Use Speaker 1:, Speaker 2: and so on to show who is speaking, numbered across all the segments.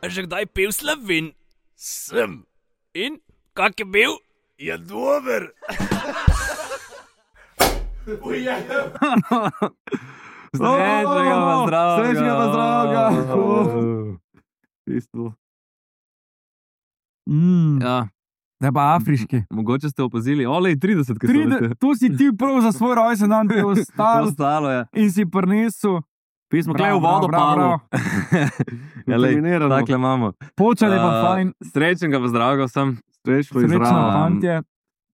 Speaker 1: A že kdaj pil Slavin? Sem. In? Kak je bil? Je dober.
Speaker 2: Srečnega pa zdravega.
Speaker 3: Srečnega pa zdravega.
Speaker 2: Ja,
Speaker 3: Da pa afriški.
Speaker 2: mogoče ste opazili, olej 30, ki so bili.
Speaker 3: Tu si ti prav za svoj rojsten dan bil ostal
Speaker 2: Ostalo je.
Speaker 3: in si prinesel.
Speaker 4: Pismo klej v vodo palo.
Speaker 2: Ja, lej,
Speaker 4: Determinirano.
Speaker 2: takle imamo.
Speaker 3: Počal je pa fajn.
Speaker 2: Srečnega pa zdravega vsem.
Speaker 4: Srečno
Speaker 3: Srečno,
Speaker 4: izraven.
Speaker 3: fantje.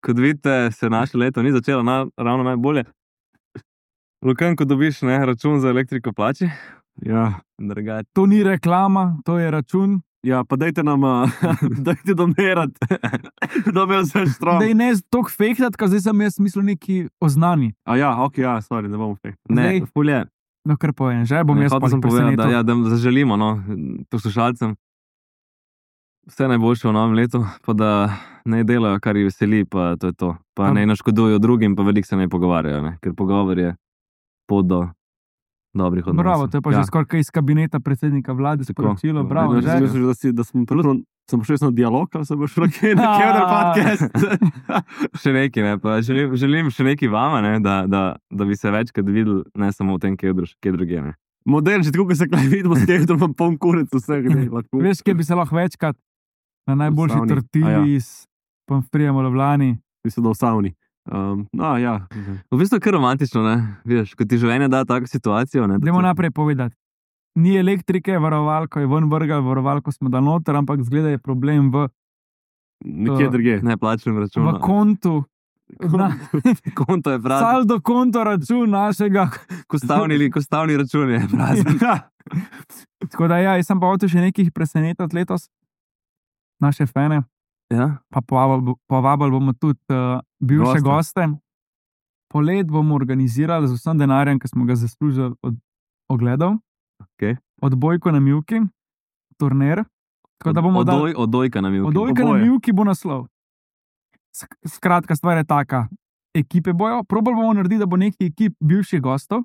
Speaker 2: Kot vidite, se naše leto ni začelo ravno najbolje. Lukan, ko dobiš račun za elektriko plači,
Speaker 4: Ja.
Speaker 2: drugače.
Speaker 3: To ni reklama, to je račun.
Speaker 4: Ja, pa dajte nam, dajte domerati, da bi vse štrom.
Speaker 3: Da je ne toliko fejkati, ker zdaj sem jaz mislil neki oznani.
Speaker 4: A ja, ok, ja, sorry, ne bomo fake.
Speaker 2: Ne,
Speaker 3: Zdaj-
Speaker 2: fulje.
Speaker 3: No, kar povem, že bom jaz
Speaker 2: Hotel
Speaker 3: pa
Speaker 2: sem povedati,
Speaker 3: presenetil.
Speaker 2: da zaželimo poslušalcem vse najboljše v novem letu, pa da ne delajo, kar jih veseli, pa to je to. Pa ne naškodujo drugim, pa veliko se ne pogovarjajo, ne? Ker pogovor je pot do dobrih odnosov.
Speaker 3: Bravo, to je pa že skoraj kaj iz kabineta predsednika vlade sporočilo. Bravo,
Speaker 4: Jaz
Speaker 3: že.
Speaker 4: mislim, da sem šel na dialog, ali sem šel na kjer podcast.
Speaker 2: Še nekaj, ne? Pa želim še nekaj vama, ne? Da bi se večkrat videli, ne samo v tem, kje druge. Ne?
Speaker 4: Model, že tako, ko se kaj vidimo, s tem, da imam poln kurec vseh.
Speaker 3: Veš, kje bi se lahko večkrat na najboljši
Speaker 4: savni.
Speaker 3: tortilji s pomfrijem v Ljubljani.
Speaker 4: Mislim, da v savni. No, ja.
Speaker 2: V bistvu je kar romantično, ne? Vidiš, ko ti življenje da tako situacijo. Ne?
Speaker 3: Dajmo naprej povedati. Ni elektrike, varovalko je ven vrgal, varovalko smo dal noter, ampak zgleda je problem v
Speaker 4: Nekje drugje.
Speaker 2: Ne plačujem račun.
Speaker 3: kontu.
Speaker 2: Konto je prazen.
Speaker 3: Saldo konto račun našega.
Speaker 2: Kostavni račun je prazen.
Speaker 3: Tako da ja, jaz sem pa hotel še nekaj presenetiti letos. Naše fene.
Speaker 2: Ja?
Speaker 3: Pa povabili bomo tudi bivše goste. Polet bomo organizirali z vsem denarjem, ki smo ga zaslužili od ogledov.
Speaker 2: Okay.
Speaker 3: Odbojko na Mivki, turnir. Tako da bomo dali
Speaker 2: Odojka na Mivki.
Speaker 3: odbojka na Mivki bo naslov. Skratka, stvar je taka. Ekipe bojo, probali bomo narediti, da bo nekaj ekip bivših gostov,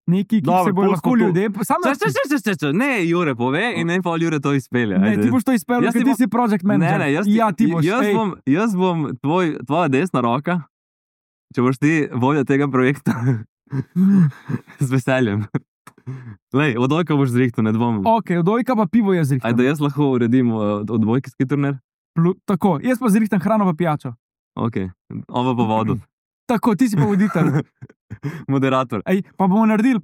Speaker 3: nekaj ekip
Speaker 4: Dobro,
Speaker 3: se bojo
Speaker 4: pol
Speaker 3: lahko
Speaker 4: skupaj.
Speaker 3: ljudje. Samo
Speaker 2: Ne, Jure pove in ne pol Jure to izpelje.
Speaker 3: ne,
Speaker 2: Ajde.
Speaker 3: ti boš to izpeljal,
Speaker 2: Jaz
Speaker 3: ker
Speaker 2: ti
Speaker 3: ti
Speaker 2: bom-
Speaker 3: si project manager.
Speaker 2: Ne,
Speaker 3: ja, ti boš. ej.
Speaker 2: jaz bom tvoja desna roka, če boš ti vodja tega projekta. Z veseljem. Lej, odojka boš zrihtal, ne dvomim.
Speaker 3: Ok, odojka pa pivo je zrihtan.
Speaker 2: Ajde, jaz lahko uredim odbojkarski turnir.
Speaker 3: Tako, jaz pa zrihtam hrano pa pijačo.
Speaker 2: Ok, ovo po vodu.
Speaker 3: Tako, ti si pa voditelj.
Speaker 2: Moderator.
Speaker 3: Ej, pa bomo naredili,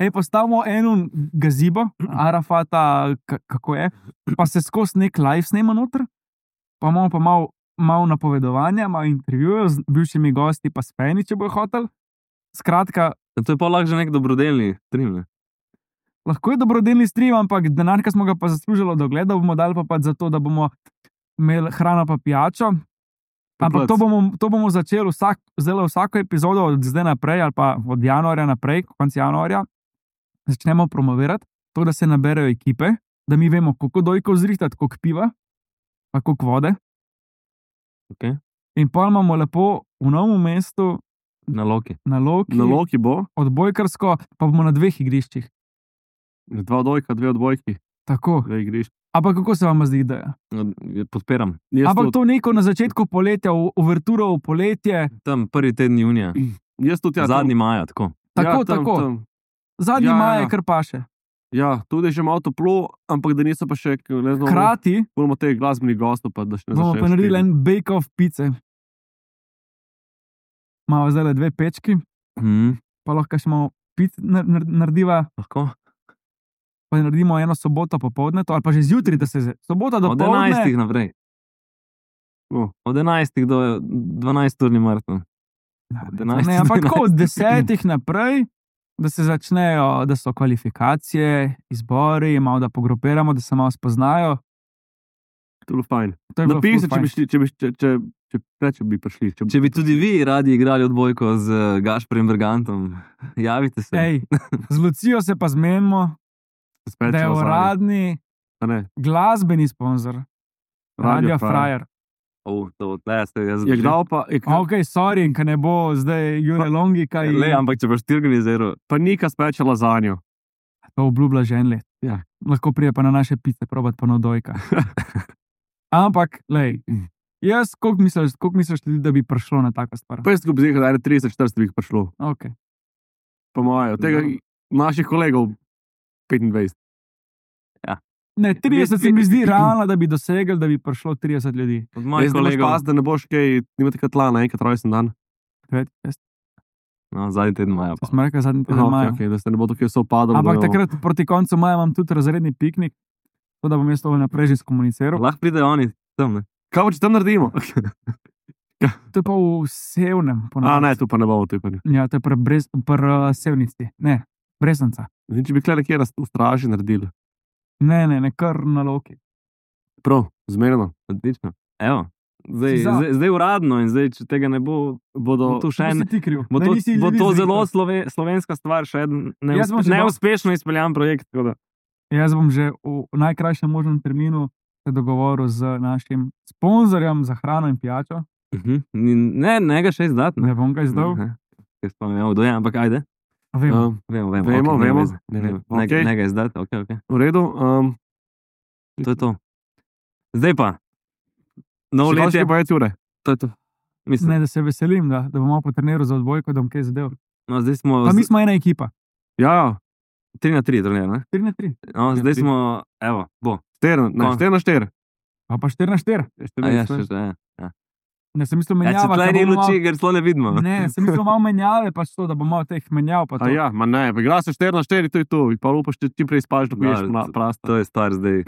Speaker 3: postavimo eno gazibo, Arafata, kako je, pa se skozi nek live snema noter, pa imamo pa malo napovedovanja, malo intervjujev z bivšimi gosti, pa s Feni, če bo hotel. Skratka,
Speaker 2: To je pa lahko že nek dobrodelni stream, ne?
Speaker 3: lahko je dobrodelni stream, ampak denar, ki smo ga pa zaslužili od ogleda, bomo dali pa pač zato, da bomo imeli hrano pa pijačo. Ampak to bomo začeli vsako epizodo od zdaj naprej, ali pa od januarja naprej, konec januarja, začnemo promovirati, to, da se naberejo ekipe, da mi vemo, koliko dojkov zrihtati, koliko piva, pa koliko vode.
Speaker 2: Okay.
Speaker 3: In pa imamo lepo v Novem mestu,
Speaker 2: Na Loki.
Speaker 3: na Loki,
Speaker 4: Na Loki bo,
Speaker 3: odbojkarsko, pa bomo na 2 igriščih.
Speaker 4: 2 odbojka, 2 odbojki,
Speaker 3: Tako.
Speaker 4: 2 igrišč.
Speaker 3: Ampak kako se vam zdi ideja?
Speaker 2: Podpiram.
Speaker 3: Ampak to neko na začetku poletja, uverturo v poletje.
Speaker 2: Tam prvi teden junija.
Speaker 4: Jaz tudi, ja.
Speaker 2: Zadnji maja, tako.
Speaker 3: Tako,
Speaker 4: tam,
Speaker 3: tako.
Speaker 4: tam.
Speaker 3: Zadnji
Speaker 4: Ja,
Speaker 3: maj
Speaker 4: ja.
Speaker 3: je kar paše.
Speaker 4: Ja, tudi je že malo toplo, ampak da niso pa še, ne znam,
Speaker 3: Hkrati
Speaker 4: moramo teh glasbenih gostov, pa da še ne
Speaker 3: bomo
Speaker 4: začneš
Speaker 3: pa naredili
Speaker 4: šteti.
Speaker 3: en bake-off pice. Imamo zdaj 2 pečki, pa lahko še malo pic narediva,
Speaker 2: Lahko.
Speaker 3: pa naredimo eno soboto popoldne, ali pa že zjutraj, da se sobota do
Speaker 2: Od 11. naprej. Od 11. do 12. maraton.
Speaker 3: Ne, ampak tako od 10. naprej, da se začnejo, da so kvalifikacije, izbori, malo da pogrupiramo, da se malo spoznajo.
Speaker 4: To je bilo fajn.
Speaker 3: To je bilo
Speaker 4: Napiši,
Speaker 3: ful fajn.
Speaker 4: če bi prišli.
Speaker 2: Če bi tudi vi radi igrali odbojko z Gašprem Bergantom, javite se.
Speaker 3: Ej, z Lucijo se pa zmenimo, da je uradni glasbeni sponzor. Radio Frajer.
Speaker 2: To ste jaz.
Speaker 4: Je kdal pa...
Speaker 3: Ok, sorry, ker ne bo zdaj Jure Longi, kaj...
Speaker 2: Le, ampak če boš ti organiziral.
Speaker 4: Pa Nika speče lazanjo.
Speaker 3: To obljublja že en let.
Speaker 4: Ja.
Speaker 3: Lahko prije pa na naše pice, probat pa na dojka. Ampak, lej, jaz, koliko misliš ljudi, da bi prišlo na taka stvar?
Speaker 4: Pa jaz skupaj zihal, da je 30-40 bi jih prišlo.
Speaker 3: Okay.
Speaker 4: Po moje, od tega naših kolegov 25.
Speaker 3: Ne, 30 se mi zdi realno, da bi dosegli, da bi prišlo 30 ljudi.
Speaker 2: Od mojih
Speaker 4: Jaz ne boš
Speaker 2: kolegov.
Speaker 4: pas, da ne boš kaj, nimate kaj tla na enkrat rojsten dan.
Speaker 2: No, zadnji teden maja.
Speaker 3: To smo rekli zadnji teden
Speaker 4: Aha,
Speaker 3: maja.
Speaker 4: okay, da se ne bo tukaj vse upadalo.
Speaker 3: Ampak takrat proti koncu maja imam tudi razredni piknik, tako da bom jaz to naprej že skomuniciral.
Speaker 2: Lahko pridejo oni tam, ne?
Speaker 4: Kaj pa če tam naredimo?
Speaker 3: To je pa v Sevnem.
Speaker 4: Ne, tu pa ne bomo. Tu pa ne.
Speaker 3: Ja, to je Sevnici. Ne, Bresanca.
Speaker 4: Zdaj, če bi kle nekje v straži naredili.
Speaker 3: Ne, kar na Loki.
Speaker 4: Prav, zmerno.
Speaker 2: Odlično. Evo. Zdaj uradno in zdaj, če tega ne bo, bodo tu še en. Bo to zelo slovenska stvar, še en neuspešno izpeljan projekt.
Speaker 3: Jaz bom že v najkrajšem možnem terminu se dogovoril z našim sponzorjem za hrano in pijačo.
Speaker 2: Ne ga še izdati.
Speaker 3: Ne bom ga izdal.
Speaker 2: Jaz pa ne vem, kdo je, ampak ajde.
Speaker 3: Vemo.
Speaker 4: Vemo.
Speaker 2: Ne ga izdati, ok.
Speaker 4: V redu.
Speaker 2: To je to. Zdaj pa. Novo letje.
Speaker 4: Pa je ure.
Speaker 2: To je to. Mislim.
Speaker 3: Ne, da se veselim, da bom malo potreniral za odbojko, da bom kaj zadev.
Speaker 2: No, zdaj smo.
Speaker 3: Pa mi smo ena ekipa.
Speaker 4: Ja.
Speaker 2: 3-3, turnir, ne?
Speaker 3: 3-3.
Speaker 2: No, zdaj smo, evo, bo.
Speaker 4: 4-4.
Speaker 3: A pa 4-4.
Speaker 2: Ja, še.
Speaker 3: Ne, sem mislil menjava.
Speaker 2: Če tlej ni luči, ker slo ne vidimo.
Speaker 3: Ne, sem mislil malo menjave, pač to, da bo malo teh menjav.
Speaker 4: A ja, ma ne, igra se 4-4, to je to. Pa upaš, če čim prej spaš, da poješ prasta.
Speaker 2: To je stvar zdaj.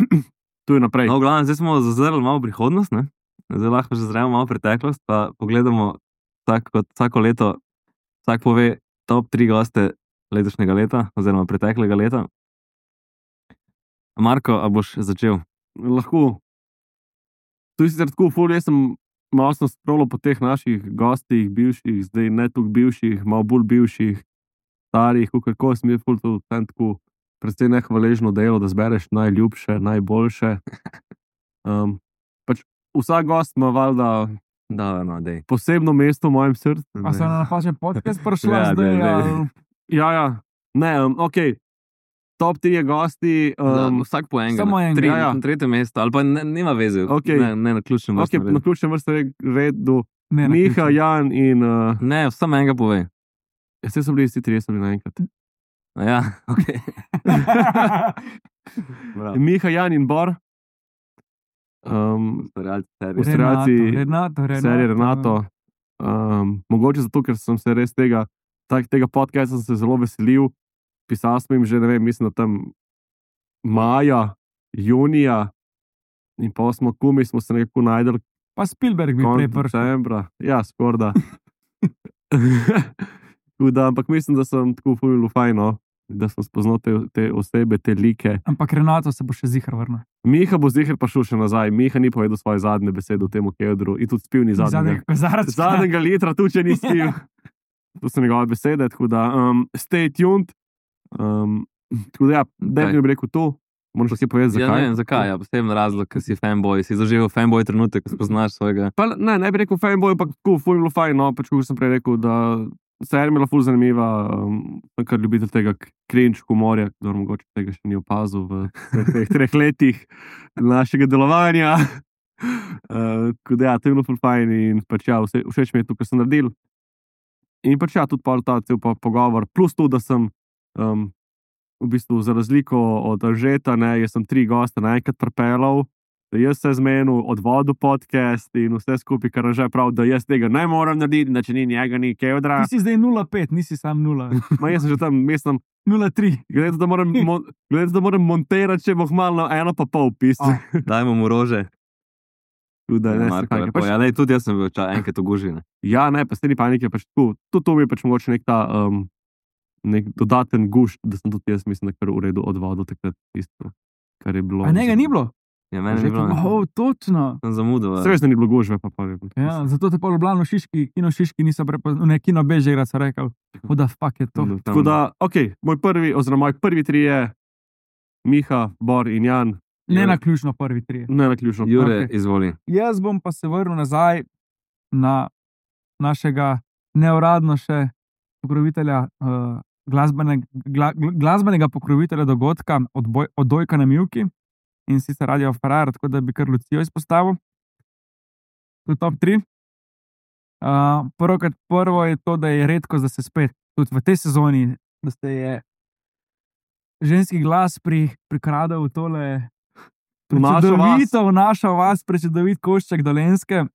Speaker 4: Tu je naprej.
Speaker 2: No, v glavnem, zdaj smo zazrli malo prihodnost, ne? Zdaj lahko že zremo malo preteklost, pa pogledamo vsako leto, vsak pove top 3 goste letošnjega leta, oziroma preteklega leta. Marko, a boš začel?
Speaker 4: Lahko. Tu je sicer tako ful, jaz sem malo sprolo po teh naših gostih, bivših, zdaj ne toliko bivših, malo bolj bivših, starih, kako sem je ful to tako predvsej nehvaležno delo, da zbereš najljubše, najboljše. Pač vsak gost ima valjda posebno mesto v mojem srcu.
Speaker 3: A se na napačen podcast prišla zdaj?
Speaker 4: Ja. Ne, ok. Top 3 gosti.
Speaker 2: Vsak po enega.
Speaker 3: Samo enega.
Speaker 2: Tretje mesto, ali pa nima veze.
Speaker 4: Okay.
Speaker 2: Ne na ključnem vrstnem redu.
Speaker 4: Na ključnem vrstnem redu. Miha, Jan in...
Speaker 2: Ne, samo enega povej.
Speaker 4: Vse so bili vsi 3 naenkrat.
Speaker 2: Ja, ok.
Speaker 4: Miha, Jan in Bor. Ustvarjalci serije Renato. Mogoče zato, ker sem se res tega podcasta se zelo veselil. Pisal sem jim že, ne vem, mislim, da tam maja, junija in pa smo se nekako najdel.
Speaker 3: Pa Spielberg bi prej
Speaker 4: prišel. Ja, skorda. Ampak mislim, da sem tako ful fajno, da sem spoznal te osebe, te like.
Speaker 3: Ampak Renato se bo še zihar vrnil.
Speaker 4: Miha bo zihar pa šel še nazaj. Miha ni povedal svoje zadnje besede v tem kedru in tudi spil ni zadnjega litra, tu če ni spil. To so njegove besede, tako da stay tuned. Tako da ja, definitivno bi rekel to. Moraš pa si povedati, zakaj.
Speaker 2: Ja, ne vem, zakaj, ja, poseben razlog, ker si fanboy, si zaživel fanboy trenutek, ko spoznaš svojega.
Speaker 4: Pa ne bi rekel fanboy, ampak tako ful bilo fajn, no, pač kot sem prej rekel, da serija mi je bila ful zanimiva, kar ljubitelj tega cringe humorja, kdo mogoče tega še ni opazil v teh 3 letih našega delovanja. Tako da ja, to je bilo ful fajn in pač ja, všeč mi je to, kar sem naredil. In pač ja, tudi ta cel pogovor, plus to, da sem v bistvu za razliko od Anžeta, jaz sem 3 goste naenkrat pripeljal, da jaz se zmenil, odvodil podcast in vse skupaj, kar Anže prav, da jaz tega ne moram narediti, da če ni njega, ni Kevdra.
Speaker 3: Ti si zdaj 0,5, nisi sam 0.
Speaker 4: Ma jaz sem že tam, mislim,
Speaker 3: 0,3.
Speaker 4: Gledajte, da moram monterati, če boh malo 1,5 pisati.
Speaker 2: Dajmo mu rože.
Speaker 4: Marko,
Speaker 2: ja, tudi jaz sem bil enkrat ogužen.
Speaker 4: Ja, ne, pa ste ni panike, pač tu. Tudi to mi je pač mogoče nek dodaten gušt, da sem tudi jaz, mislim, da kar v redu odvodil takrat isto, kar je bilo.
Speaker 3: A njega ni bilo?
Speaker 2: Ja, meni ni bilo.
Speaker 3: Točno.
Speaker 2: Sem zamudil.
Speaker 4: Seveda ni bilo gužve, pa pa.
Speaker 3: Ja, zato te pa Ljubljano Kino Šiški niso prepoznali, ne, Kino Bežigrad so rekel, da fuck je to.
Speaker 4: Tako da, ok, moji prvi 3 je Miha, Bor in Jan.
Speaker 3: Ne na ključno prvi 3.
Speaker 4: Ne na ključno.
Speaker 2: Jure, izvoli.
Speaker 3: Jaz bom pa se vrnil nazaj na našega neuradno še pokrovitelja glasbenega pokrovitelja dogodka Odojka na Mivki in sicer Radio Ferrari, tako da bi kar Lucijo izpostavil. To je top 3. Prvo je to, da je redko, da se spet, tudi v tej sezoni, da se je ženski glas prikradel v tole v našo vas, prečudovit košček Dolenjske.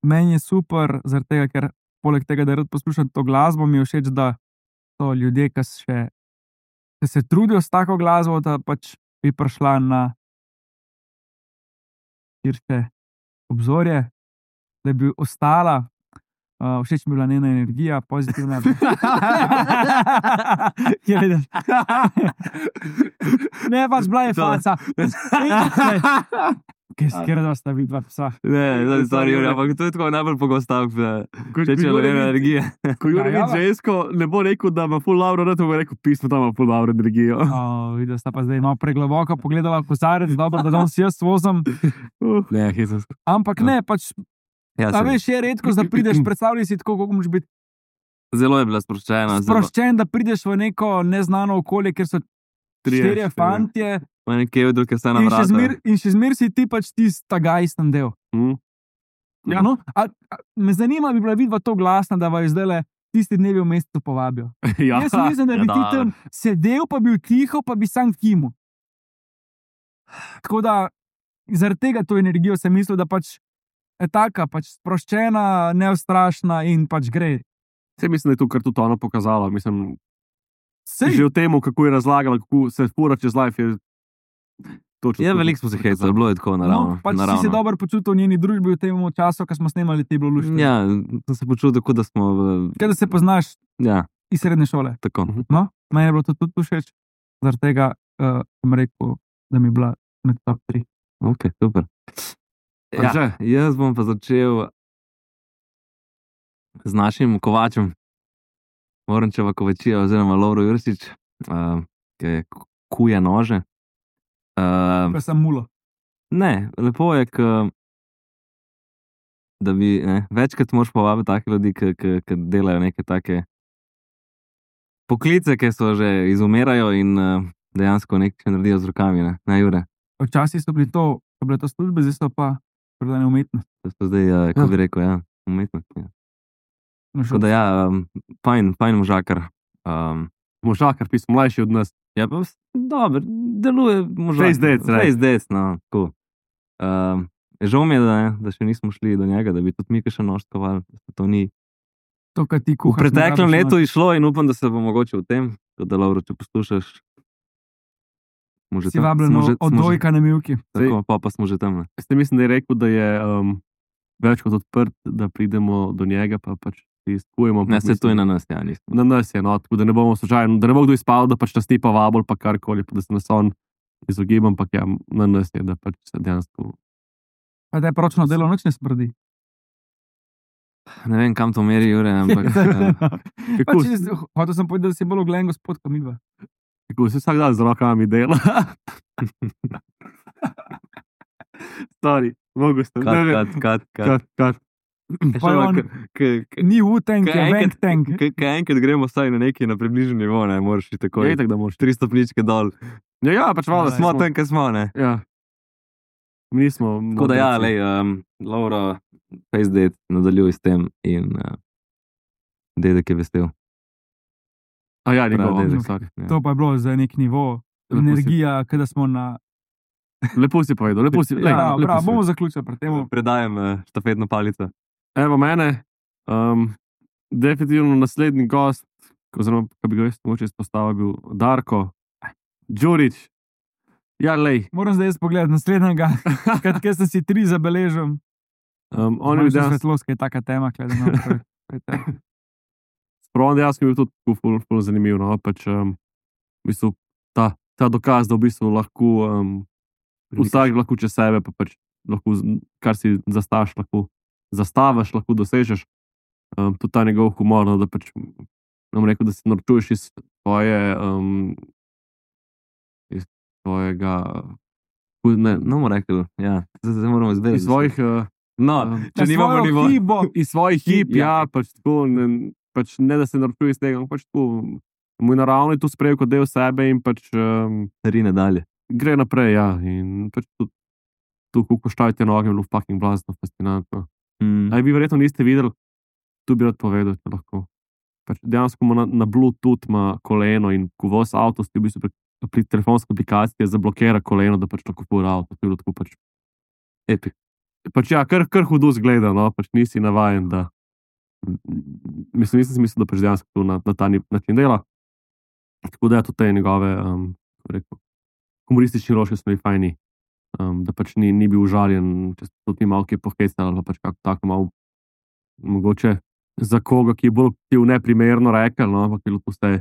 Speaker 3: Meni je super, zaradi tega, ker poleg tega, da rad poslušam to glasbo, mi je všeč, da so ljudje, ki se trudijo s tako glasbo, da pač bi prišla na širše obzorje, da bi ostala. Všeč mi je bila njena energija, pozitivna. Ne, pač bila je faca. Kjer da sta vidva psa?
Speaker 2: Ne, stari, ampak to je tako najbolj pogost stavek, če je energija.
Speaker 4: Ko Jure vidi žensko, ne bo rekel, da ima ful lauro, ne bo rekel, pismo tam ima ful lauro energijo.
Speaker 3: Videla sta pa zdaj malo pregloboko pogledala v kozarec, dobro, da danes jaz vozim.
Speaker 2: Ne, hitrost.
Speaker 3: Ampak ne, pač a veš, je redko, da prideš, predstavljaj si tako, kako moraš biti.
Speaker 2: Zelo je bila sproščena.
Speaker 3: Sproščen, da prideš v neko neznano okolje, kjer so 4 fantje.
Speaker 2: V nekje v druge se navrata.
Speaker 3: In še zmer si ti pač ta gajsten del.
Speaker 4: Ja.
Speaker 3: No, me zanima, bi bila vidva to glasna, da vas zdaj tisti dnevi v mestu povabijo.
Speaker 4: Ja.
Speaker 3: Jaz mislim, da bi ti tam sedel, pa bil tiho, pa bi sam kimu. Tako da, zaradi tega to energijo sem mislil, da pač je taka, pač sproščena, neustrašna in pač gre.
Speaker 4: Vse mislim, da je to, kar tudi ona pokazala. Mislim, že v tem, kako je razlagala, kako se fura čez life, je točno.
Speaker 2: Ja, veliko smo se hecali, bilo je tako naravno.
Speaker 3: Pač si se dobro počutil v njeni družbi v tem času, ko smo snemali te bilo luštine.
Speaker 2: Ja, sem se počutil, kot da smo
Speaker 3: Kaj da se poznaš iz srednje šole.
Speaker 2: Tako.
Speaker 3: No, meni je bilo to tudi všeč, zaradi tega sem rekel, da mi je bila med top 3.
Speaker 2: Ok, super. Ja, jaz bom pa začel z našim kovačem, Morančeva Kovačija oziroma Lovro Jursič, ki je kuje nože.
Speaker 3: Pa sem mulo.
Speaker 2: Ne, lepo je, da bi večkrat moraš povabiti take ljudi, ki delajo neke take poklice, ki so že izumirajo in dejansko nekaj naredijo z rokami, ne Jure?
Speaker 3: Včasih so bile to službe, zdaj so pa prodane umetnost.
Speaker 2: To so zdaj, kako bi rekel, umetnost. Ja. Tako da fajn možakar.
Speaker 4: Možakar, pismo mlajši od nas.
Speaker 2: Ja, pa dobro, deluje možakar. Face dec, no, tako. Žal mi je, da še nismo šli do njega, da bi tudi mi še noštovali, da to ni.
Speaker 3: To, kar ti kuhaš.
Speaker 2: V preteklem letu je šlo in upam, da se bo mogoče v tem, da Lovro, če poslušaš,
Speaker 3: si vabljeno Odojka na Mivki.
Speaker 2: Tako, pa smo že tam.
Speaker 4: Ste mislim, da je rekel, da je več kot odprt, da pridemo do njega, pa pač izkujemo.
Speaker 2: Ne, se to je na nas, ja, nismo.
Speaker 4: Na nas je, no, tako da ne bomo slučajno, da ne bo kdo izpal, da pač nas ni pa vabil, pa karkoli, pa da se nas on izogibam, pa ja, na nas je, da pač se dejansko.
Speaker 3: Pa da je poročno delo noč ne smrdi.
Speaker 2: Ne vem, kam to meri, Jure, ampak.
Speaker 3: Hotel sem povedati, da si bolj ogledan gospod, kot midva.
Speaker 4: Tako se vsak dan z rokami dela. Stari, mogo ste.
Speaker 2: Kat.
Speaker 3: Ni Wu-Tang, je Wang-Tang.
Speaker 2: Kaj enkrat gremo vsaj na neki na približen nivo, ne, moraš iti tako.
Speaker 4: Je tako, da moraš
Speaker 2: 3 stopničke dol.
Speaker 4: Ja, pač malo.
Speaker 2: Smo tam, kaj smo, ne.
Speaker 4: Ja. Mi smo.
Speaker 2: Tako da ja, lej, Laura, face date, nadaljuj s tem in dedek je vesel.
Speaker 4: A ja, njegov
Speaker 2: dedek.
Speaker 3: To pa je bilo za nek nivo, energija, kada smo na.
Speaker 4: Lepo si povedal, lepo si.
Speaker 3: Prav, bomo zaključili pri tem.
Speaker 2: Predajem štafetno palico.
Speaker 4: Evo mene, definitivno naslednji gost, oziroma, kaj bi ga jaz mogoče izpostavil, bil Darko Đurić. Ja, lej.
Speaker 3: Moram zdaj pogledati naslednjega, kaj sem si 3 zabeležil.
Speaker 4: On je videl
Speaker 3: svetlost, kaj je taka tema, gledano.
Speaker 4: Spravom dejansko je bil tudi ful zanimiv, no, pač v bistvu ta dokaz, da v bistvu lahko vsak lahko čez sebe, pa pač lahko, kar si zastaviš, lahko dosežeš. Tudi ta njegov humor, no, da pač nam rekel, da se norčuješ iz tvojega, ne bomo rekli, ja, zdaj moramo izvedeti.
Speaker 2: Iz svojih, če nimamo nivo.
Speaker 4: Iz svojih hip, ja, pač tako, pač ne da se naročuje iz tega, ampak pač tako, moj naravni tu sprejel kot del sebe in pač
Speaker 2: Rine dalje.
Speaker 4: gre naprej, ja, in pač tu koštajte noge, bilo fucking blazno, fascinantno. Aj vi verjetno niste videli, tu bi rad povedal, če lahko. Pač dejansko ima na Bluetooth ima koleno in ko voz avto, v bistvu pri telefonski aplikaciji zablokira koleno, da pač lahko fura avto, to je bilo tako pač
Speaker 2: Epic.
Speaker 4: pač ja, kar hudo zgleda, no, pač nisi navajen, da nisem si mislil, da pač dejansko tu na ta način dela. Tako da tudi te njegove, humoristični roške so mi fajni, da pač ni bil užaljen, če se tudi ni malo kje pohecala, ali pač kako tako malo mogoče za koga, ki je bolj neprimerno rekel, no, ampak je to vse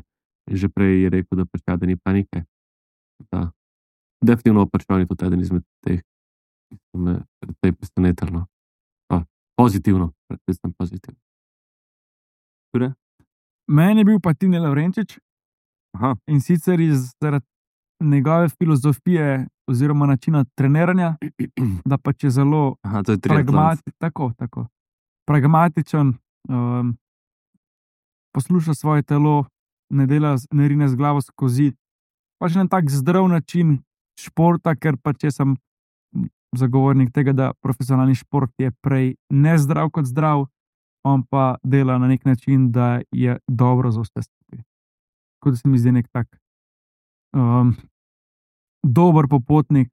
Speaker 4: že prej je rekel, da pač da ni panike. Da, definitivno pač on je tudi eden izmed teh, ki so me predvsej presenetili, no. Pozitivno, predvsem pozitivno.
Speaker 3: Meni je bil pa Tine Lavrenčič.
Speaker 2: Aha.
Speaker 3: In sicer zaradi njegove filozofije oziroma načina treniranja, da pač je zelo
Speaker 2: Aha, to je triatlon.
Speaker 3: pragmatičen, posluša svoje telo, ne rine z glavo skozi. Pač na tak zdrav način športa, ker pač jaz sem zagovornik tega, da profesionalni šport je prej nezdrav kot zdrav, on pa dela na nek način, da je dobro za vse skupaj. Tako da se mi zdi nek tak dober popotnik,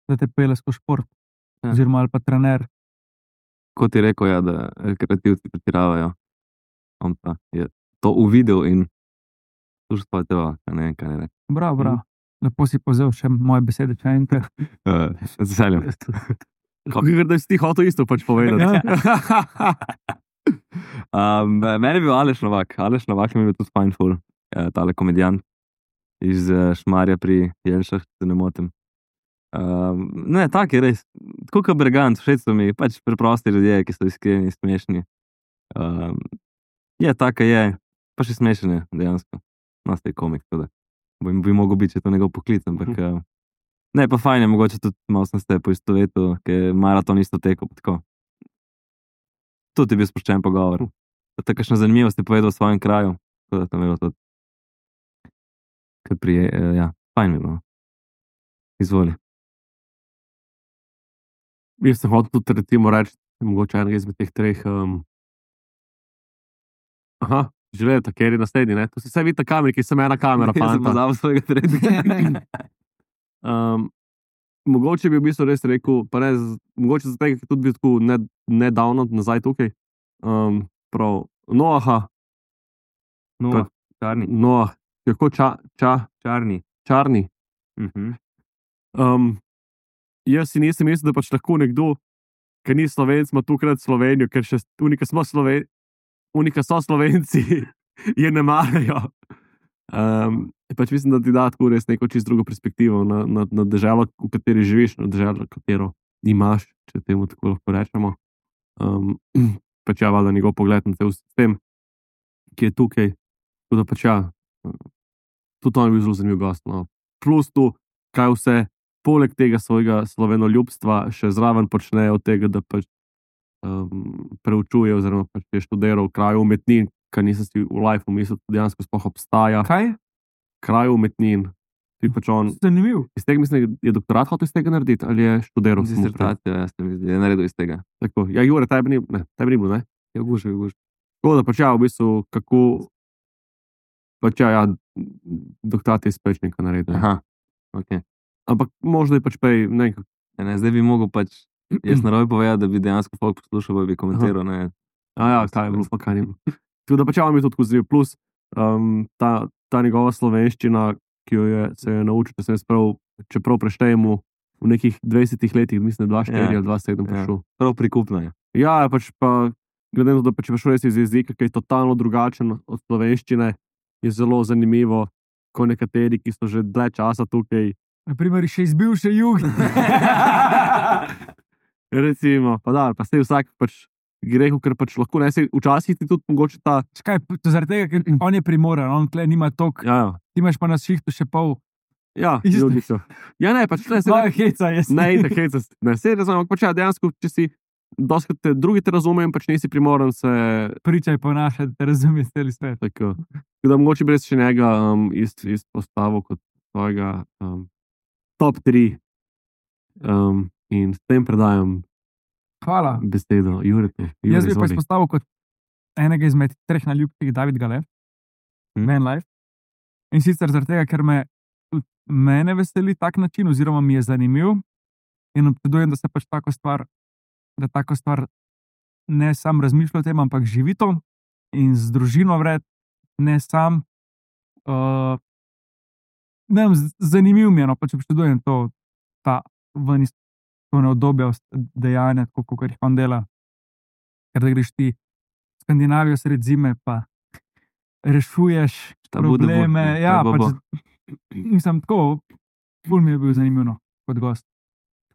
Speaker 3: da te pelje skozi šport,
Speaker 2: Ja.
Speaker 3: oziroma ali pa trener.
Speaker 2: Kot je rekel, ja, da rekreativci pretiravajo. On pa je to uvidel in sluša svoje telo, ne vem, kaj ne reče.
Speaker 3: Bravo. Lepo si povzel še moje besede, če enkrat.
Speaker 2: Z veseljem.
Speaker 4: Kako da si ti hotel isto pač povedati?
Speaker 2: Meni je bil Aleš Novak. Aleš Novak mi je bil tudi fajn ful. Tale komedijant iz Šmarja pri Jelšah, če se ne motim. Ne, tak je res. Tako kot Bergant, všeč so mi pač preprosti ljudje, ki so iskreni, smešni. Je taka je, pa še smešen je dejansko. No, ste komik, tako da bi mogel biti, če je to njegov poklic, ampak ne, pa fajn je, mogoče tudi malo sem se poistovetil, ker je maraton isto tekel, tako. Tudi je bil sproščen pogovor. Tako kakšno zanimivost je povedal v svojem kraju, tako da to mi je bilo tudi kar ja, fajn mi je bilo. Izvoli.
Speaker 4: Jaz sem hotel tudi recimo reči, mogoče enega izmed teh treh. Želeli, ker je naslednji, ne? To si vse vidi na kameri, ki sem ena kamera,
Speaker 2: Jaz sem
Speaker 4: fanta.
Speaker 2: pozabil svojega tretjega.
Speaker 4: Mogoče bi v bistvu res rekel, pa ne, mogoče zato, ker je tudi bil tako nedavno nazaj tukaj. Prav, Noaha,
Speaker 2: No, čarni.
Speaker 4: Noah, kako
Speaker 2: Čarni.
Speaker 4: čarni. Jaz si nisem mislil, da pač lahko nekdo, ki ni Slovenc, ima tukaj Slovenijo, ker še unika so Slovenci, je ne marajo. Pač mislim, da ti da tako res neko čisto drugo perspektivo na deželo, v kateri živiš, na deželo, katero imaš, če temu tako lahko rečemo. Pač ja, valjda njegov pogled na cel sistem, ki je tukaj. Tako da pač ja, tudi on je bil zelo zanimiv gost. No. Plus tu, kaj vse, poleg tega svojega slovenoljubstva še zraven počne od tega, da pač preučuje oziroma pač je študiral kraj umetnin, kar nisem si v lifeu mislil, da dejansko sploh obstaja.
Speaker 3: Kaj?
Speaker 4: Kraj umetnin. Pač on,
Speaker 3: Zanimiv.
Speaker 4: iz tega mislim, je doktorat hotel iz tega narediti ali je študiral?
Speaker 2: Disertacijo, jaz se mi zdi, je naredil iz tega.
Speaker 4: Tako, ja, Jure, tebi ni bil, ne?
Speaker 2: Je guž.
Speaker 4: Tako da pač ja, v bistvu, kako pač ja, doktorat je iz Pečnika naredil.
Speaker 2: Aha, ok.
Speaker 4: Ampak možno je pač prej, ne,
Speaker 2: Ne, zdaj bi mogel pač, jaz narobe povedati, da bi dejansko folk poslušal, pa bi komentiral, ne.
Speaker 4: kaj je bilo, pa kaj ni bilo. Tako da pač ja, mi je to tako zanimivo. Plus ta njegova slovenščina, ki se je naučil, čeprav preštejemo v nekih 20 letih, mislim, 2-4 ali 2-7 prišel.
Speaker 2: Prav prikupno je.
Speaker 4: Ja, pač pa, glede na to, da pač je prišel res iz jezika, ki je totalno drugačen od slovenščine, je zelo zanimivo, ko nekateri, ki so že dlje časa tukaj,
Speaker 3: Na primer, še iz bivše Juge.
Speaker 4: recimo, pa da, pa ste vsak pač grehu, ker pač lahko ne se, včasih ti tudi mogoče ta,
Speaker 3: Škaj, to zaradi tega, ker on je primoran, on tle nima tok,
Speaker 4: ja,
Speaker 3: ti imaš pa na šihtu še pol. Isto.
Speaker 4: ljudi so. Ja, ne, pač ne,
Speaker 3: Svoja heca je.
Speaker 4: ne, tako heca, ne, se razumem, pač ja, dejansko, če si doskrat te drugi te razumejo, pač nisi primoran se.
Speaker 3: Pričaj ponašati, da razumeš cel svet.
Speaker 4: Tako da mogoče bi res še njega izpostavil kot svojega top 3. In s tem predajam
Speaker 3: Hvala.
Speaker 4: besedo Juretu.
Speaker 3: Jaz bi pa izpostavil kot enega izmed 3 najljubših David Gale, Van Life. In sicer zaradi tega, ker mene veseli tak način, oziroma mi je zanimiv in občudujem, da se pač tako stvar ne sam razmišlja o tem, ampak živi to in z družino vred, ne sam. Ne vem, zanimiv mi je, no, pač občudujem ta ven iz to neodobja dejanja, tako kot jih on dela. Ker da greš ti v Skandinavijo sred zime, pa rešuješ probleme. Ja, pač, mislim, tako, ful mi je bil zanimivo kot gost.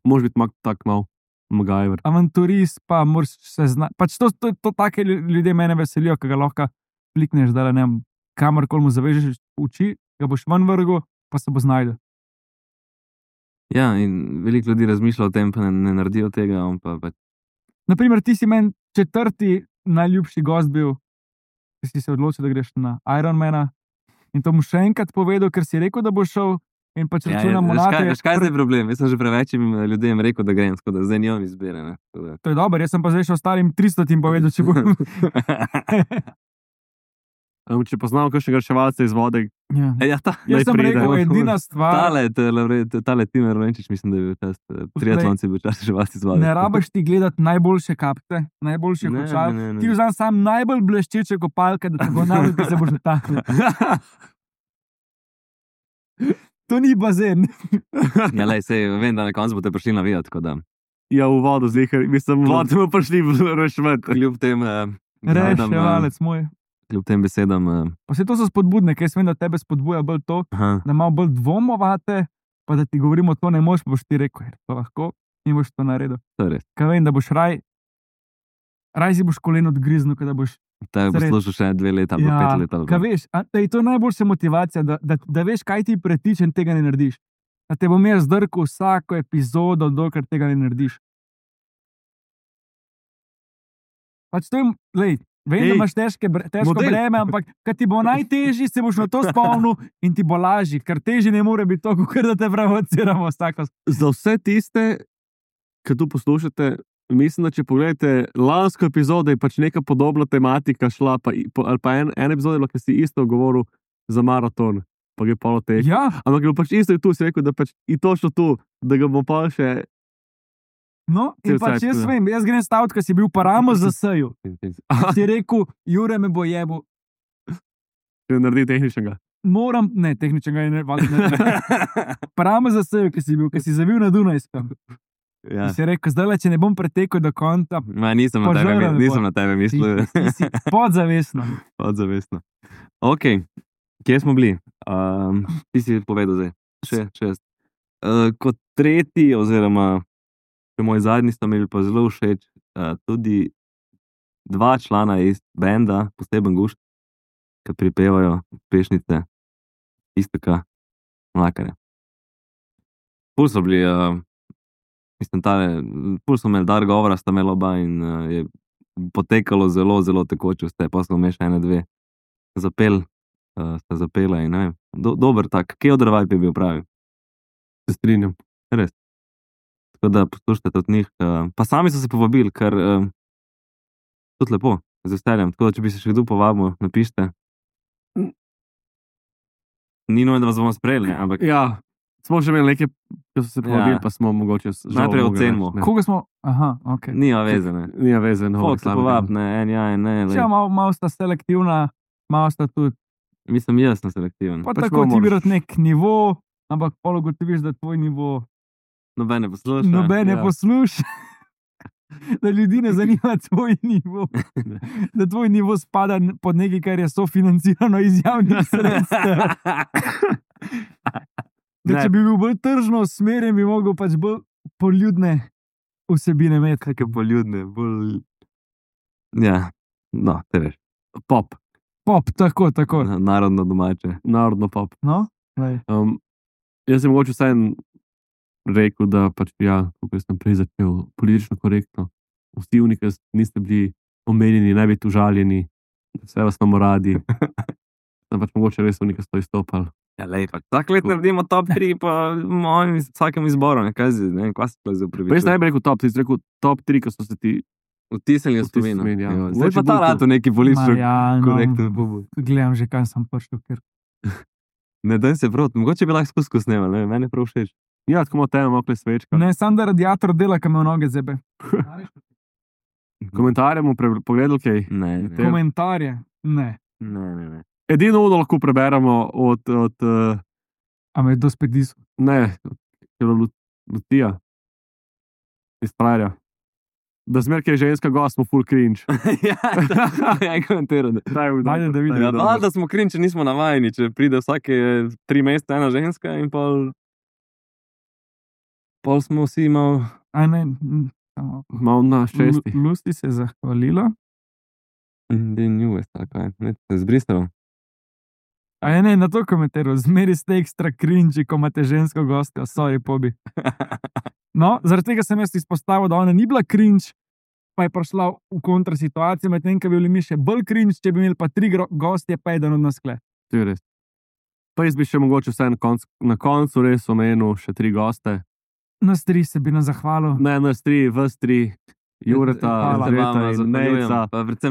Speaker 4: Može biti tak mal MacGyver.
Speaker 3: Avanturist, pa moraš se znati. Pač to take ljudje mene veselijo, ki ga lahko klikneš, da ne vem, kamorkoli mu zavežeš oči, ga boš ven vrgel, pa se bo znajdel.
Speaker 2: Ja, in veliko ljudi razmišlja o tem, pa ne naredijo tega.
Speaker 3: Naprimer, ti si meni 4. najljubši gost bil, ki si se odločil, da greš na Ironmana. In to mu še enkrat povedal, ker si rekel, da bo šel. In pač računamo na te.
Speaker 2: Veš, kaj je problem? Jaz sem že prevečim ljudem rekel, da grem, tako da zdaj njom izbere.
Speaker 3: To je dobro, jaz sem pa zdaj še ostalim 300 povedal, če bom.
Speaker 4: Če poznamo kakšnega reševalca iz vode.
Speaker 3: Ja. Jaz sem rekel, edina stvar.
Speaker 2: Tale Timer Venčič, mislim, da je bil čas. Triatlonci bil čas reševalci iz vode.
Speaker 3: Ne rabiš ti gledati najboljše kapte, najboljše kočal. Ti vzam sam najbolj bleščeče kopalke, da te bo naredil, da se boš dotaknil. To ni bazen.
Speaker 2: Ja, lej, sej, vem, da na koncu boste prišli navijati, tako da.
Speaker 4: Ja, v vodo zihar. Mislim, v vodo smo prišli reševati.
Speaker 2: Kljub tem
Speaker 3: reševalec moj.
Speaker 2: Kljub tem besedam.
Speaker 3: Pa vse to so spodbudne, ker jaz vem, da tebe spodbuja bolj to, da malo bolj dvomovate, pa da ti govorimo, to ne moš, boš ti rekel, to lahko in boš to naredil.
Speaker 2: To je res.
Speaker 3: Kaj vem, da boš raj si boš koleno odgriznil, da boš.
Speaker 2: Te bo slušal še 2 leta, ali 5 let.
Speaker 3: Kaj veš, da je to najboljša motivacija, da veš, kaj ti pretiče in tega ne narediš. Da te bom jaz zdrkal vsako epizodo, dokler tega ne narediš. Pač to je, lej, vem, da imaš težko breme, ampak kad ti bo najtežji, se boš na to spomnil in ti bo lažji, ker težji ne more biti to, ker da te provociramo vsako.
Speaker 4: Za vse tiste, ki tu poslušate, mislim, da če pogledate lansko epizodo, je pač neka podobna tematika šla, ali pa en epizod, ki si isto govoril za maraton, pa je polo težji.
Speaker 3: Ja.
Speaker 4: Ampak je pač isto tu, si rekel, da pač je točno tu, da ga bo pa še.
Speaker 3: No, in pač jaz vem, jaz grem staviti, ko si bil paramo za seju. Si rekel, Jure me bo jebo.
Speaker 4: Če naredi tehničnega.
Speaker 3: Ne, tehničnega je ne. Paramo za seju, ko si zavil na Dunajskem.
Speaker 2: Ja.
Speaker 3: Si rekel, zdaj, če ne bom pretekel do konca.
Speaker 2: Nisem na tebe mislil.
Speaker 3: Si podzavestno.
Speaker 2: Podzavestno. Ok, kje smo bili? Ti si povedal zdaj. Še. Kot 3. oziroma moj zadnji sta mi pa zelo všeč, tudi 2 člana iz benda, poseben gušt, ki pripevajo pešnice Iztoka Mlakarja. Pul so bili, pul so imeli dar govora, sta imela oba in je potekalo zelo, zelo tekoče vse, pa smo še 1-2 sta zapela in ne vem, dober tak, kje odrvaj bi bil pravi.
Speaker 4: Se strinjam.
Speaker 2: Res. Tako da poslušajte od njih. Pa sami so se povabili, ker tudi lepo, z veseljem. Tako da, če bi se še kdo povabil, napište. Ni nujno, da vas bomo sprejeli, ampak.
Speaker 4: Ja, smo že imeli nekaj, ki so se povabili, pa smo mogoče.
Speaker 2: Najprej ocenimo.
Speaker 3: Koga smo? Aha, ok.
Speaker 2: Nija veze, ne.
Speaker 4: Nija veze, no.
Speaker 2: Folk se povab, ne, en ja, en ne.
Speaker 3: Ja, malo sta selektivna, malo sta tudi.
Speaker 2: Mislim, jaz sem selektiven.
Speaker 3: Pa tako ti bi rad nek nivo, ampak polo gotoviš, da tvoj nivo.
Speaker 2: Nobene posluša.
Speaker 3: Da ljudi ne zanima tvoj nivo. Da tvoj nivo spada pod nekaj, kar je sofinancirano iz javnih sredstev. Da če bi bil bolj tržno usmerjen, bi mogel pač bolj poljudne vsebine imeti.
Speaker 2: Kakšne poljudne, bolj. Ja, no, te veš.
Speaker 4: Pop,
Speaker 3: tako.
Speaker 2: Narodno domače.
Speaker 4: Narodno pop.
Speaker 3: No,
Speaker 4: jaz sem mogoče vsaj rekel, da pač ja, kako sem prej začel politično korektno vsi oni, ki niste bili omenjeni, ne biti užaljeni, vse vas imamo radi. Pač mogoče res oni, ki so izstopali.
Speaker 2: Ja, lepo. Vsak let naredimo top 3, pa vsakem izboru, ne vem, kaj se zdaj upravičuje.
Speaker 4: Jaz ne bi rekel top, ti si rekel top 3, ki so se ti
Speaker 2: vtisnili v spominu.
Speaker 4: ja.
Speaker 2: Zdaj pa ta rato neki politično korektno pobud.
Speaker 3: Gledam že, kaj sem prišel, ker
Speaker 2: Ne, daj se prav, mogoče bi lahko skusku snemal, ne, meni je prav všeč.
Speaker 4: Ja, tako imamo temo, malo svečka.
Speaker 3: ne, sam da radiator dela, kam me v noge zebe.
Speaker 4: Komentarje bomo pogledali, kaj.
Speaker 2: Ne.
Speaker 3: Komentarje, ne.
Speaker 4: Edino ono lahko preberemo od
Speaker 3: A me je to spet diso.
Speaker 4: ne, od Lutija iz Prajerja. Da zmer, ki je ženska gost, smo full cringe.
Speaker 2: Ja, komentiral.
Speaker 3: Ajde, da vidim.
Speaker 2: Ja, da smo cringe, če nismo navajeni, če pride vsake 3 meseca ena ženska in pol smo vsi malo...
Speaker 3: Aj ne,
Speaker 4: Malo na 6.
Speaker 3: Lusti se je zahvalila.
Speaker 2: Nju, tako je, ne, se je zbristalo.
Speaker 3: Aj ne, na to komentiral, zmeri ste ekstra cringe, ko imate žensko gostjo, sorry, pobi. No, zaradi tega sem jaz izpostavil, da ona ni bila cringe, pa je prišla v kontrasituacijo, medtem ko bi bili mi še bolj cringe, če bi imeli pa 3 gostje, pa eden od nas kle.
Speaker 4: To je res. Pa jaz bi še mogoče vse na koncu res omenil še 3 goste.
Speaker 3: Nas 3 se bi nam zahvalil.
Speaker 4: Ne, nas 3, vas 3, Jureta,
Speaker 3: Hvala.
Speaker 4: Andreta in Nejca.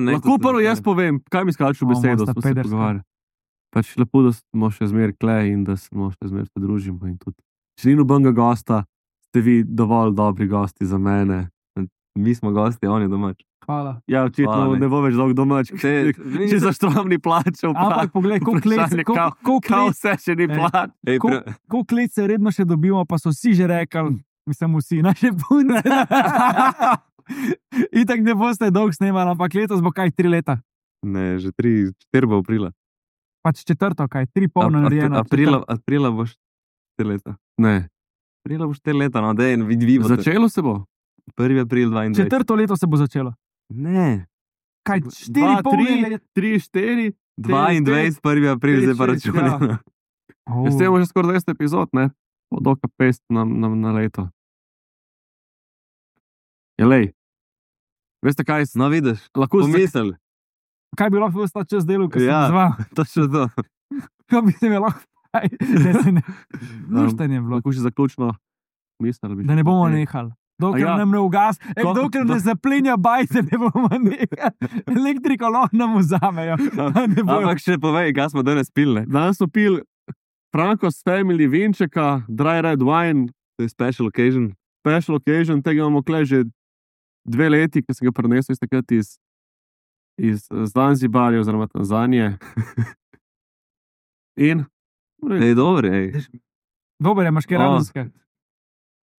Speaker 4: Lahko prvo jaz povem, kaj mi skaču besedo,
Speaker 3: sta
Speaker 4: smo se
Speaker 3: pederska.
Speaker 4: pogovarjali. Pač lepo, da smo še zmer kle in da smo še zmer se družimo in tudi. Če ni nobenega gosta, ste vi dovolj dobri gosti za mene.
Speaker 2: Mi smo gosti, on je domač.
Speaker 3: Hvala.
Speaker 4: Ja, očitno
Speaker 2: Hvala,
Speaker 4: ne bo več dolg domač, če za štrovni plačal.
Speaker 3: Ampak poglej,
Speaker 4: Kako vse še ni plač.
Speaker 3: koliko let se redno še dobimo, pa so vsi že rekli, mislim vsi, naše punce. Itak ne boste dolg snemali, ampak letos bo kaj 3 leta.
Speaker 2: Ne, že 4 bo aprila.
Speaker 3: Pač 4, kaj, 3 polno narejeno.
Speaker 2: Aprila boš 4 leta.
Speaker 4: Ne,
Speaker 2: Aprila boš 4 leta, no, dej, vidi boste.
Speaker 4: začelo se bo.
Speaker 2: 1. april 22.
Speaker 3: 4. leto se bo začelo.
Speaker 2: Ne,
Speaker 3: Kaj, 4 polno leta?
Speaker 4: 3, 4.
Speaker 2: 22. 1. april, zdaj pa računamo.
Speaker 4: Jaz imamo že skoraj 200 epizod, ne? Od oka 500 na leto. Ja, lej. Veste kaj?
Speaker 2: No, vidiš,
Speaker 4: Lahko
Speaker 2: pomisel.
Speaker 3: Kaj bi lahko sta čez delo, ker
Speaker 2: Ja.
Speaker 3: sem zval?
Speaker 2: Točno to.
Speaker 3: Kaj bi se mi lahko... Ne. Luštenje bilo.
Speaker 4: Lahko še zaključno misel.
Speaker 3: Da ne bomo nehali. Dokler nam ne ugas, dokler ne zaplenja bajce, ne bomo nehali. Elektriko lahko nam vzamejo.
Speaker 2: Ampak še povej, kaj smo danes pili.
Speaker 4: Danes smo pili Franco's Family vinčeka, dry red wine,
Speaker 2: To je special occasion.
Speaker 4: special occasion, tega imamo kle že 2 leti, ki sem ga prenesel iz takrat iz Zanzibarja oziroma Tanzanije. In
Speaker 2: Ej, dobro, ej.
Speaker 3: Dober je, imaš kaj radenske.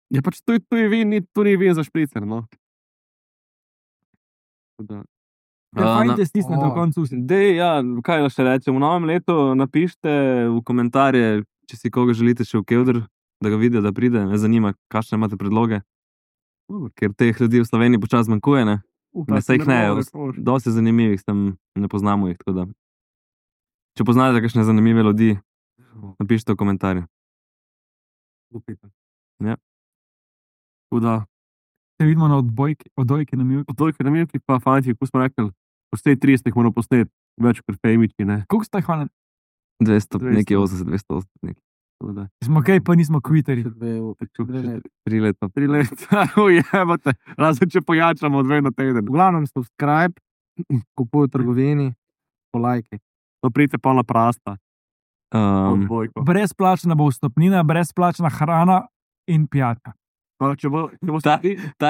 Speaker 4: je pač to je vin, to ni vin za špricer, no. Tako da,
Speaker 3: Fajn te stisnete v koncu.
Speaker 2: Dej, ja, kaj še rečem, v novem letu napišite v komentarje, če si koga želite še v Kevdr, da ga vidijo, da pride. Me zanima, kakšne imate predloge. Ker teh ljudi v Sloveniji počasno zmanjkuje, ne? Ne, saj jih ne, dosti zanimivih, tam ne poznamo jih, tako da. Če poznate kakšne zanimive ljudi, napišite v komentarje. Ja.
Speaker 4: Tako da,
Speaker 3: Se vidimo na odbojki na Mivki.
Speaker 4: toliko na milki, pa fanti, ko smo rekli, vse 30 moramo posneti, več kot fejmiči, ne.
Speaker 3: Koliko ste hvala?
Speaker 2: 200,
Speaker 4: 200.
Speaker 2: nekaj 80, 280, nekaj.
Speaker 4: Tako da,
Speaker 3: Smo kaj, pa nismo kviteri.
Speaker 2: 3 leta.
Speaker 4: 3 leta, ujebate, razen če pojačamo 2 na teden.
Speaker 5: V glavnem subscribe, kupuj v trgovini, polajkaj.
Speaker 4: No, pridite pa na prasta, odbojko.
Speaker 3: Brezplačna bo vstopnina, brezplačna hrana in pijača.
Speaker 4: Pa če bo
Speaker 2: Ta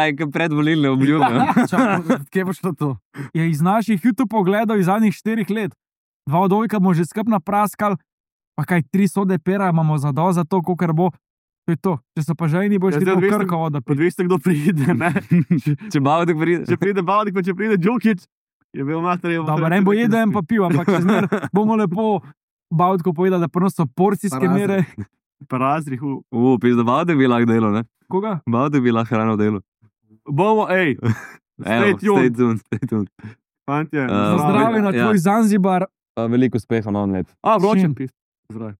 Speaker 2: je kot predvolilne obljube.
Speaker 5: Kje bo šlo to?
Speaker 3: Je iz naših YouTube pogledov iz zadnjih 4 let. 2 odbojka bomo že skupaj napraskali, pa kaj 3 sode pera imamo za to, kolikor bo. To je to. Če so pa žejni, boš
Speaker 4: Ja,
Speaker 3: ti
Speaker 4: zdaj
Speaker 3: to
Speaker 4: odvisno-
Speaker 3: Krkovo, da
Speaker 4: Odvisno, kdo pride, ne.
Speaker 2: Če Bavdek pride.
Speaker 4: Če pride Bavdik, pa če pride Džukić, je bil mater.
Speaker 3: Dobro, en bo jedel, en pa pil, ampak če zmer bomo lepo Bavdko povedali, da prvo so porcijske mere.
Speaker 4: Parazrih.
Speaker 2: Pizda, Bavdek bi lahko delo, ne?
Speaker 3: Koga?
Speaker 2: Bavdek bi lahko hrano delo.
Speaker 4: Bomo, ej,
Speaker 2: Evo, stay tuned.
Speaker 4: fantje.
Speaker 2: Za
Speaker 3: Zdravi na
Speaker 2: ja.
Speaker 3: tvoj Zanzibar.
Speaker 2: Veliko uspeha na on let.
Speaker 4: Vročen
Speaker 3: Čim?
Speaker 4: pis. Zdrav.